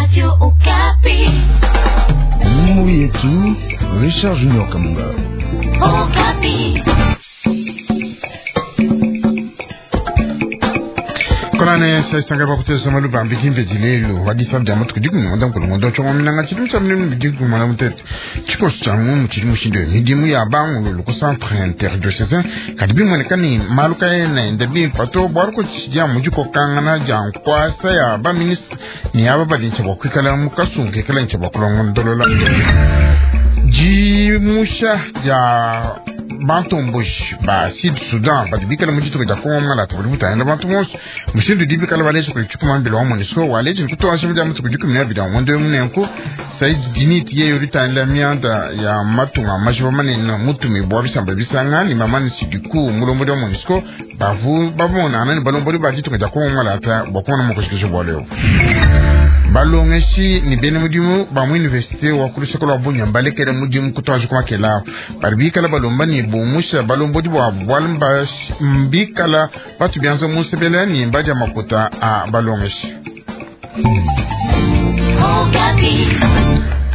Radio Okapi. Mungu yetu Richard Junior Kamunga. Okapi. Konane saisanga bakuteza maluba ambikimbe dilelo wadisa bya matuku diku ngonda nkulu ngondo chongo minanga chidu cha mlimi bidiku mwana mutete chikosi cha ngumu chili mushindo midimu ya bangu loko centre interdiocésain kadi bimoneka ni malu kaena enda bimpa to bwalu ko tshidia mujiko kangana ja nkwasa ya ba ministre ni aba badincha bwa kwikala mukasungu kekela ncha bwa kulongondolola jimusha ja bantomboshi ba Sud Sudan badi bikala mu ditunga dia Kongo Ngalata budi butangila bantu bonso mushindu udi bikala baleja kudi tshikumambila wa MONUSCO waleja ni kutuasha dia matuku 12 a ngondo munenku Said Dinit yeye udi mianda ya matunga majiba manene mutumi bwa bisamba bisanga ni mamani Sidiku mulombodi wa MONUSCO bavu babonana ni balombodi ba ditunga dia Kongo Ngalata bwa kuona mukoshikisho bwa leo balongeshi ni bene mudimu ba mu université wa kuluseko lwa Bunia balekele mudimu kutwaje kumakela bari bikala balomba ni bumusha balombodi bwa bwalu mbikala batu bianza musebela ni mbadia makuta a balongeshi. Okapi.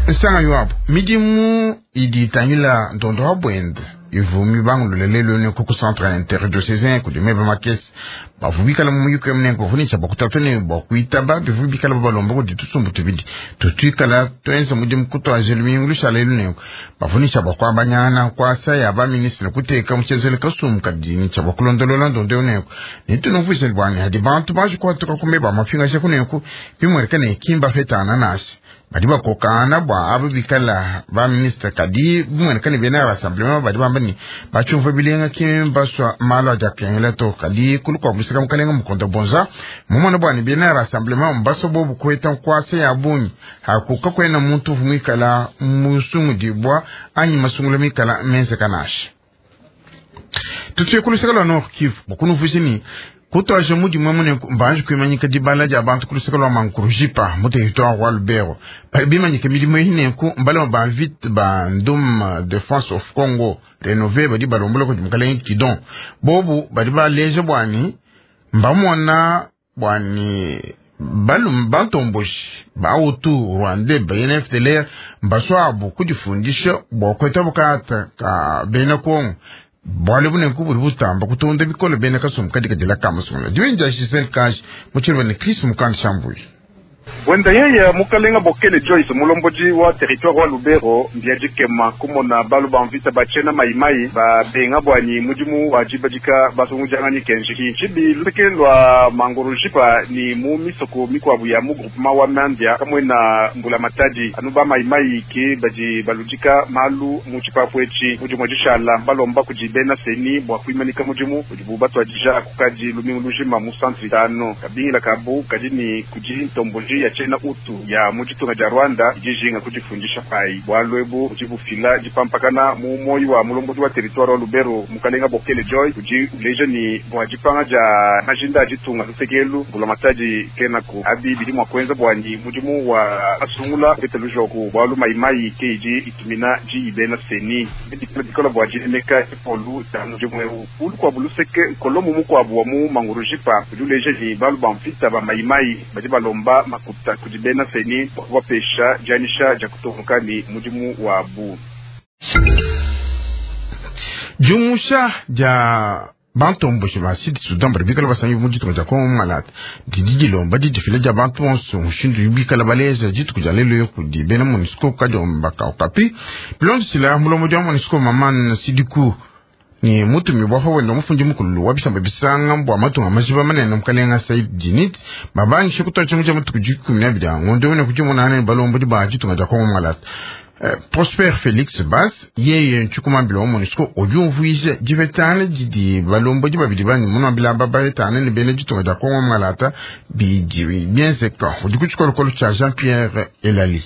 Nsanga yoapo midimu idi itangila ntondo wa bwende ivumi bangulule lelo ne kuku centre interdiocésain kudi meba makesi bavu bikala mu muyuku emunengo bavunisha bakutatu ne bakuitaba bivu bikala babalomba kudi tusumbu tubidi tutuikala tuenza mudimu kutwaje lumingu lushala elu nengo bavunisha bakuabanyana kwasa ya ba ministre kuteka muchezele kasumbu kadi cha bakulondolola ndondo nengo nitunuvuise bwani hadi bantu baje kwatuka kumeba mafinga kunengo bimwereka ne kimba fetana nasi badi bakokana bwa abo bikala ba ministre kadi bimweneka ne bena rassemblement badi bamba ni bachumva bilenga kimi baswa malo aja kengela to kadi kulu kwa musika mukalenga mukonda bonza mumona bwani bena rassemblement mbaso bobu kweta nkwase ya bunyi hakuka kwena muntu vumikala musungu dibwa anyi masungula mikala mense kanasha tutuye kuluseka lwa Nord Kivu bokunuvusini kutwaje mudimu mune mbanje kuimanyika dibala dia bantu kuluseka lwa Mankurujipa mu territoire wa Lubero bali bimanyika milimo ehinenku mbala ba vite ba ndum Defense of Congo renové badi balombola kudi mukalenge Kidon bobu badi baleje bwani mbamona bwani balum bantomboshi ba Hutu Rwandais ba FDLR mbaswabu kudifundisha bwa kweta bukata ka bena Kongo bwale bunenku buli butamba kutonda bikolo bene kasumbu kadi kadila kamasungula diwenja Giselle Kaji muchilwa ni Chris Mukandi Shambuyi. Bwenda yeye mukalenga Bokele Joyce mulombodi wa territoire wa Lubero mbia dikema kumona balu ba mvita bachena maimai babenga bwani mudimu wa dibadika basungujangani kenjiki tshibi luseke lwa Mangurujipa ni mu misoko mikwabu ya mu groupement wa Mandia kamwe na mbula matadi anu ba maimai ke badi baludika malu mu tshipapu etshi mudimu dishala balomba kudi bena seni bwa kuimanika mudimu udibu batwadija kukadi lumingu lujima mu centre tano kabingila kabu kadi ni kudi ntomboji ya chena utu ya muchitunga ja Rwanda ijijinga kujifundisha pai bwalwebu kujibufila jipampakana mu moyi wa mulombodi wa territoire wa Lubero mukalenga Bokele Joy kuji uleja ni bwa jipanga ja majinda ajitunga lusekelu bula matadi kenaku abi bidi mwa kwenza bwani mudimu wa asungula pete lujoku bwalu maimai ke iji itumina ji ibena seni bikola bwa jinemeka ipolu ta mudimu eu ulu kwa buluseke nkolomu mukwabu wa mu Mangurujipa kudi uleja ni balu ba mvita ba maimai badi balomba makuta kudi bena seni bwapesha janisha ja kutoka ni mudimu wabu. Jumusha ja bantomboshi ba Sud Sudan badi bikala basangi mu ditunga dia Kongo Malata didi dilomba didifila dia bantu bonso mushindu bikala baleza dituku dia lelo kudi bena MONUSCO kadiomba Okapi bilondesila mulombodi wa MONUSCO Maman Sidiku ni mutumi bwa wenda mufundi mukulu wa bisamba bisanga bwa matunga majiba manene mukalenga Said Dinit babangishe kutoa cha matuku 12 a ngondo wene kujimunane balombodi ba ditunga dia Kongo Malata. Prosper Felix Bas yeye nchukumambila wa MONUSCO ujumvuije divetane didi balombodi babidi bani munambila babaetane ne bene ditunga dia Kongo Malata bidi bienzeka udi ku tshikolokolo tshia Jean Pierre Elali.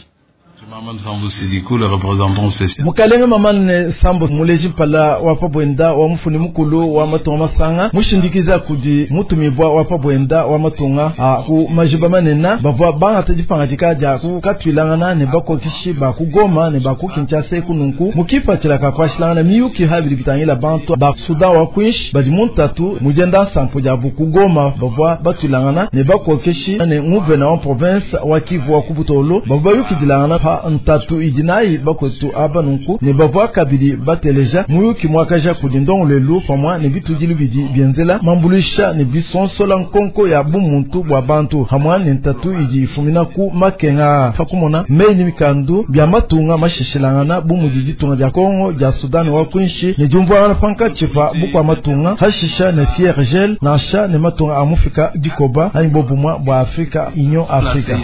Mukalenge Mamane Sambo muleji mpala wa pabwenda wa mufuni mukulu wa matunga masanga mushindikiza kudi mutumibwa wa pabwenda wa matunga a ku majiba manena bavwa bangata dipangadika dia kukatwilangana ne bakokishi ba ku Goma ne ba ku Kinshasa kununku mukipatshila ka kuashilangana miyuki habili bitangila bantu ba Sudan wa kwinshi badi muntatu mujenda nsampo dia bu ku Goma bavwa batwilangana ne bakokishi ne nguvena wa province wa Kivu wa Kubutolo bavwa bayukidilangana pa ntatu idinayi bakotu aba nunku ne bavwa kabili bateleja muyuki mwakaja kudi ndongolelu pamwa ne bitudilu bidi bienzela mambulisha ne bisonsola nkonko ya bumuntu bwa bantu hamwa ne ntatu idi ifumina ku makenga pakumona meyi mikandu bya matunga mashishilangana bumudi ditunga dia Kongo dia Sudan wa kwinshi ne diumvuangana pankatshi pa bukwa matunga hashisha ne Siergel nansha ne matunga amufika dikoba anyi bobumwa bwa Afrika Union Africa.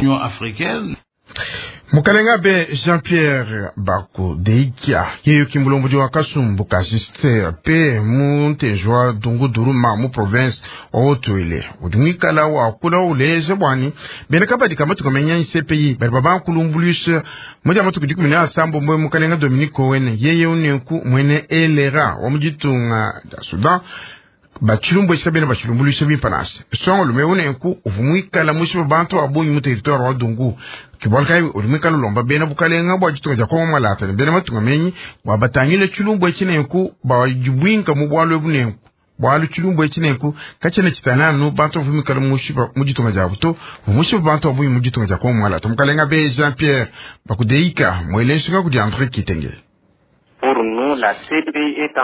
Mukalenga be Jean-Pierre Bako Deikia yeyo kimbulombo wa kasumbu kasiste pe muntejwa dungu duruma mu province wa Haut-Uele udi mwikala wa kula uleje bwani bene kabadi kamatuka menya CPI bali baba kulumbuluisha moja matuku dikumi na asambo mbwe mukalenga Dominique Owene yeye uneku mwene elera wa mujitunga da Sudan bachilumbu ekikabena bachilumbuluisha bimpanasi songo lume unenku uvumwikala mushipa bantu abunyi mu territoire wa Dungu kibolkai ulimwikala lomba bena bukalenga bwa jitunga ja Kongo malata ne bena matunga menyi bwa batangile chilumbu ekinenku bajibwinka mu bwalo ebunenku bwalo chilumbu ekinenku kachene chitananu bantu avumwikala mushipa mu jitunga ja buto vumushipa bantu abunyi mu jitunga ja Kongo malata mukalenga be Jean Pierre bakudeika mwelenshinga kudi André Kitenge.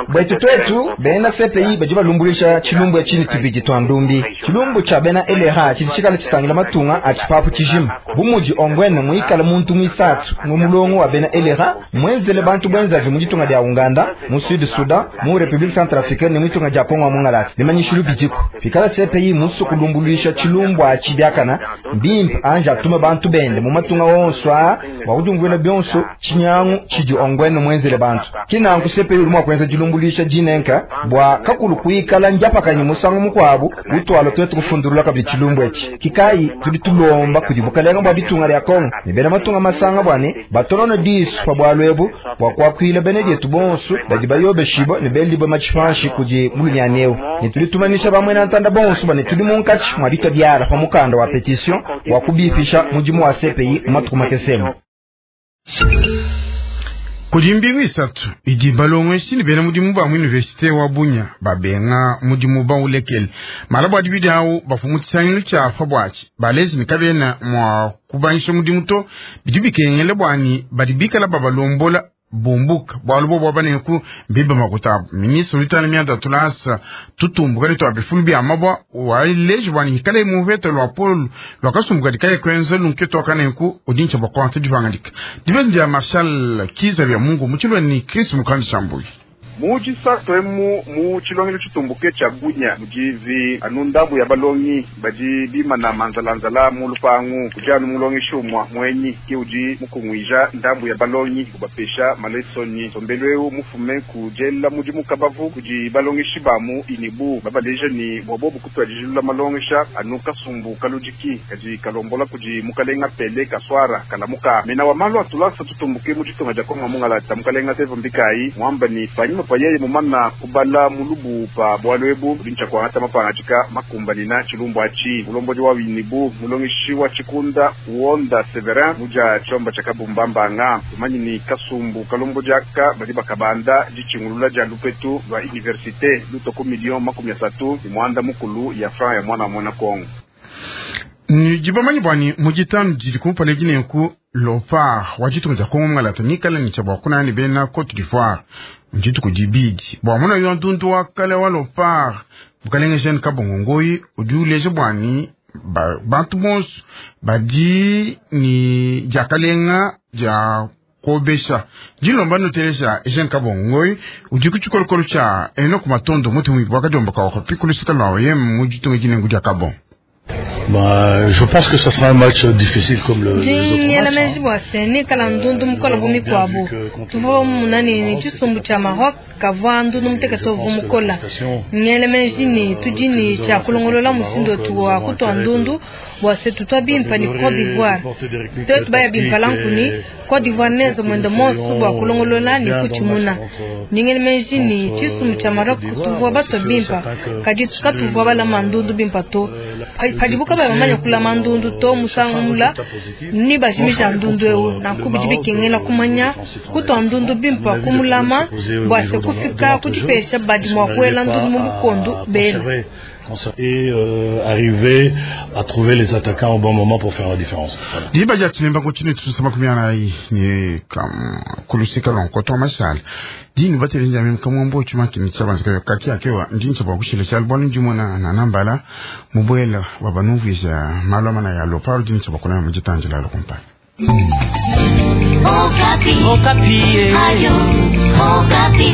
Bwetu twetu bena CPI badi balumbulisha chilumbu ya chini tubidi twa ndumbi chilumbu cha bena LRA chidi chikala chitangila matunga a chipapu chijima bumudi ongwene muikala muntu mwisatu mu mulongo wa bena LRA mwenzele bantu bwenzavi mu ditunga dia Uganda mu Sud Sudan mu Republique Centrafricaine ne mwitunga dia Kongo mungalati limanyishilu bidiko pikala CPI musu kulumbulisha chilumbu a chibiakana mbimpa anja atuma bantu bende mu matunga wonso a wakudungwena byonso chinyangu chidi ongwene mwenzele bantu kinanku CPI uli mwakwenza dilumbulisha dinenka bwa kakulu kuikala njapakanye musango mukwabu utwalo twetu kufundulula kabili chilumbu echi kikayi tudi tulomba kudi bukalenga bwa ditunga lya Kongo ne bena matunga masanga bwane batonono disu pa bwalwebu bwa kwakwila bene dietu bonso badi bayobeshibo ne belibwe machipanshi kudi mulunyaneu ne tudi tumanisha bamwe na ntanda bonso bane tudi munkachi mwa ditwa diala pa mukanda wa petition wa kubipisha mudimu wa CPI matuku makesemu. Kudi mbingu isatu idi balongeshi ne bena mudimu ba mu universite wa Bunya babenga mudimu baulekele mala bua dibidi awu bafu tshisangilu tshia pa buatshi balezi ne kabena mua kubangisha mudimu to bidi bikengele bwani badi bikala babalombola bumbuka bwalu bo bwa baneku mbiba makutabu ministre lutana mianda tulasa tutumbuka ne twa bifulu bya mabwa waleji bwani hikale muvete lwa polo lwa kasumbuka dikaye kwenza lunketo akaneku udincha bwa kwanta divangalika dibenja Marshal Kiza bya Mungu muchilwe ni Chris Mukandi Shambuyi muji satwemu mu chilongelo chitumbuke cha Bunya mujivi anundambu ya balongi badi bimana manzalanzala mu lupangu kujanu mulongi shumwa mwenyi kiuji mukungwija ndambu ya balongi kubapesha malesoni sombelweu mufume kujela muji mukabavu kuji balongi shibamu inibu babaleja ni bwabobu kutwajijilula malongesha anu kasumbu kalujiki kaji kalombola kuji mukalenga pele kaswara kalamuka mena wa malu atulasa tutumbuke mu chitunga ja Kongo mungalata mukalenga tevo mbikai mwamba ni panyuma payeye mumana kubala mulubu pa bwalwebu bincha kwa hata mapangachika makumbanina chilumbu achi mulomboji wa winibu mulongishi wa chikunda uonda Severin muja chomba chakabumbambanga tumanyi ni kasumbu kalomboji aka bali bakabanda jichingulula ja lupetu lwa universite lutoko milion 30 imwanda mukulu ya franc ya mwana mwana Kongo. Ni jibamanyi bwani mujitanu jili kumpale jinenku lopar wajitunga ja Kongo ngalata nikala ni chabwa kuna ni bena Cote d'Ivoire njitu kujibidi bwa muna yo ntuntu wakale wa lopar bukalenga jeune kabongo ngoi udiuleje bwani bantu bonso badi ni jakalenga ja kobesha jilomba nutelesha jeune kabongo ngoi udi kuchikolokolo cha eno kumatondo mutu mwibwakajomba kawakopi kulusika lwawe ye mujitunga jinengu ja kabongo. Bah, je pense que ça sera un match difficile comme le, Ndi les autres ngela matchs, hein. meji bua se nikala ndundu mukola bu mikuabu tuvua munani ne tshisumbu tshia Maroc kavua ndundu mutekete uvua mukola. Ngela meji ne tudi ne tshia kulongolola mushindu wetu wa kutua ndundu bua se tutua bimpa ne Cote d'Ivoire. Tuetu baya bimpa lankuni Cote d'Ivoire neza muende monso bua kulongolola ne kutshimuna. Ndi ngela meji ne tshisumbu tshia Maroc tuvua batua bimpa kadi katuvua balama ndundu bimpa to. Padibu kabayi bamanya kulama ndundu to musangu mula ni bajimija ndundu eu nanku bidi bikengela kumanya kutua ndundu bimpa kumulama bua se kufika kudipesha badi mua kuela ndundu mu bukondu bela. Et arriver à trouver les attaquants au bon moment pour faire la différence. Voilà. Diba dia tunemba kutshini tutusa makumi anayi ne kulusika lwa nkoto wa mashala dini batelenja mimi kamwambo chuma kinitsa banzika kaki akewa ndincha bwa kushila chal bwanu ndimona na nambala mubwela wabanuvisa malwa mana ya loparo dincha bwa kuna mujitanjila lokumpala. Okapi. Okapi. Radio Okapi.